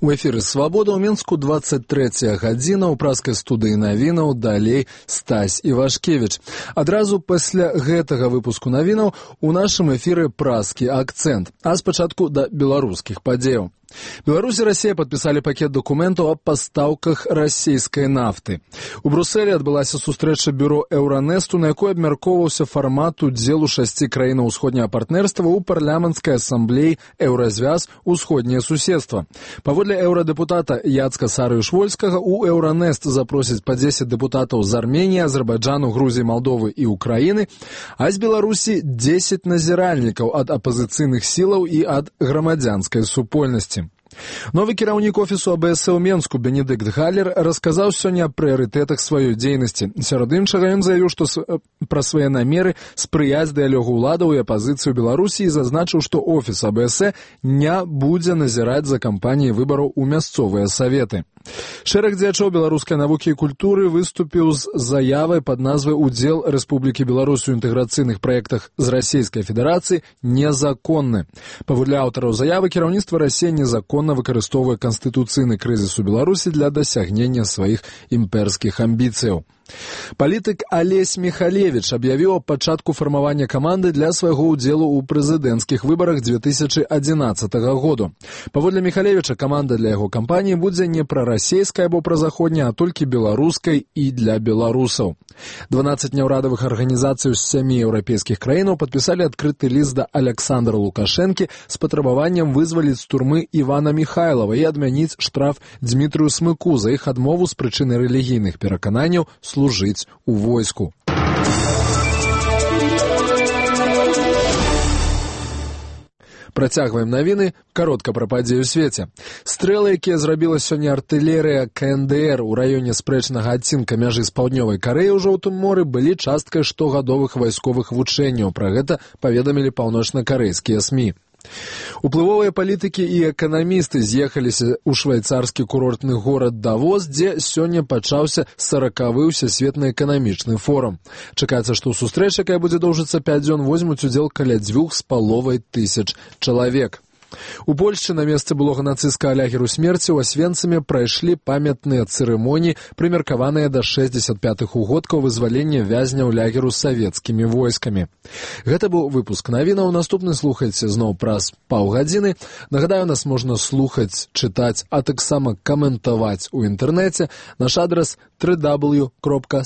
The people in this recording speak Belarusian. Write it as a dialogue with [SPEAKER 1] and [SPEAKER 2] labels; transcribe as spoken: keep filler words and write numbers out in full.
[SPEAKER 1] У эфіры «Свабода» ў Мінску двадцать трэцяя гадзіна, ў праскай студыі навінаў далей Стась Івашкевіч. Адразу пасля гэтага выпуску навінаў у нашым эфіры праскі акцэнт, а спачатку да беларускіх падзеяў. Беларусь и Россия подписали пакет документов о поставках российской нафты. У Брюсселе адбылася сустрэча бюро Euronest, на якой абмяркоўваўся фармат удзелу шасці краінаў усходняга партнерства ў парламенцкай ассамблеі Еўразвяз усходняе суседства. Паводле еўрадэпутата Яцка Сарыюш-Вольскага, у Euronest запросяць па дзесяць дэпутатаў з Арменіі, Азербайджану, Грузіі, Малдовы і Украіны, а з Беларусі дзесяць назіральнікаў ад апазіцыйных сілаў і ад грамадзянскай супольнасці. Новы кіраўнік офісу АБС ў Менску Бенедыкт Галлер расказаў сёння аб прыярытэтах сваёй дзейнасці. Сярод іншага ён заявіў, што пра свае намеры спрыяць дыялогу ўладаў і апазіцыі ў Беларусі і зазначыў, што офіс АБС не будзе назіраць за кампаніяй выбараў у мясцовыя саветы. Шэраг дзеячоў беларускай навукі і культуры выступіў з заявай пад назвай «Удзел Рэспублікі Беларусь у інтэграцыйных праектах з Расійскай Федэрацыі незаконны». Паводле аўтараў заявы, кіраўніцтва Расіі незаконна выкарыстоўвае канстытуцыйны крызіс у Беларусі для дасягнення сваіх імперскіх амбіцыяў. Палітык Алесь Михалевич аб'явіў аб пачатку фармавання каманды для свайго ўдзелу ў прэзідэнцкіх выбарах дзве тысячы адзінаццатага году. Паводле Михалевича, каманда для яго кампаніі будзе не прарасейская або празаходняя, а толькі беларускай і для беларусаў. дванаццаць няўрадавых арганізацый з сямі еўрапейскіх краінаў падпісалі адкрыты ліст да Аляксандра Лукашэнкі з патрабаваннем вызваліць з турмы Івана Міхайлава і адмяніць штраф Дзмітрыю Смыку за іх адмову з прычыны рэлігійных перакананняў служыць у войску. Працягваем навіны, каротка пра падзеі ў свеце. Стрэлы, якія зрабіла сёння артылерыя КНДР у раёне спрэчнага адцінка мяжы з паўднёвай Карэі ў Жоўтым моры, былі часткай штогадовых вайсковых вучэнняў. Пра гэта паведамілі паўночна-карэйскія СМІ. Уплывовыя палітыкі і эканамісты з'ехаліся ў швайцарскі курортны горад Давос, дзе сёння пачаўся саракавы ўсесветны эканамічны форум. Чакаецца, што ў сустрэчы, якая будзе доўжыцца пяць дзён, возьмуць удзел каля дзвюх з паловай тысяч чалавек. У Польшчы на месцы былога нацысцкага лагеру смерці ў Асвенцыме прайшлі памятныя цырымоніі, прымеркаваныя да шэсцьдзесят пятых угодкаў вызвалення вязняў лагеру савецкімі войскамі. Гэта быў выпуск навінаў. Наступны слухайце зноў праз паўгадзіны. Нагадаю, нас можна слухаць, чытаць, а таксама каментаваць у інтэрнэце. Наш адрас дабл ю дабл ю дабл ю кропка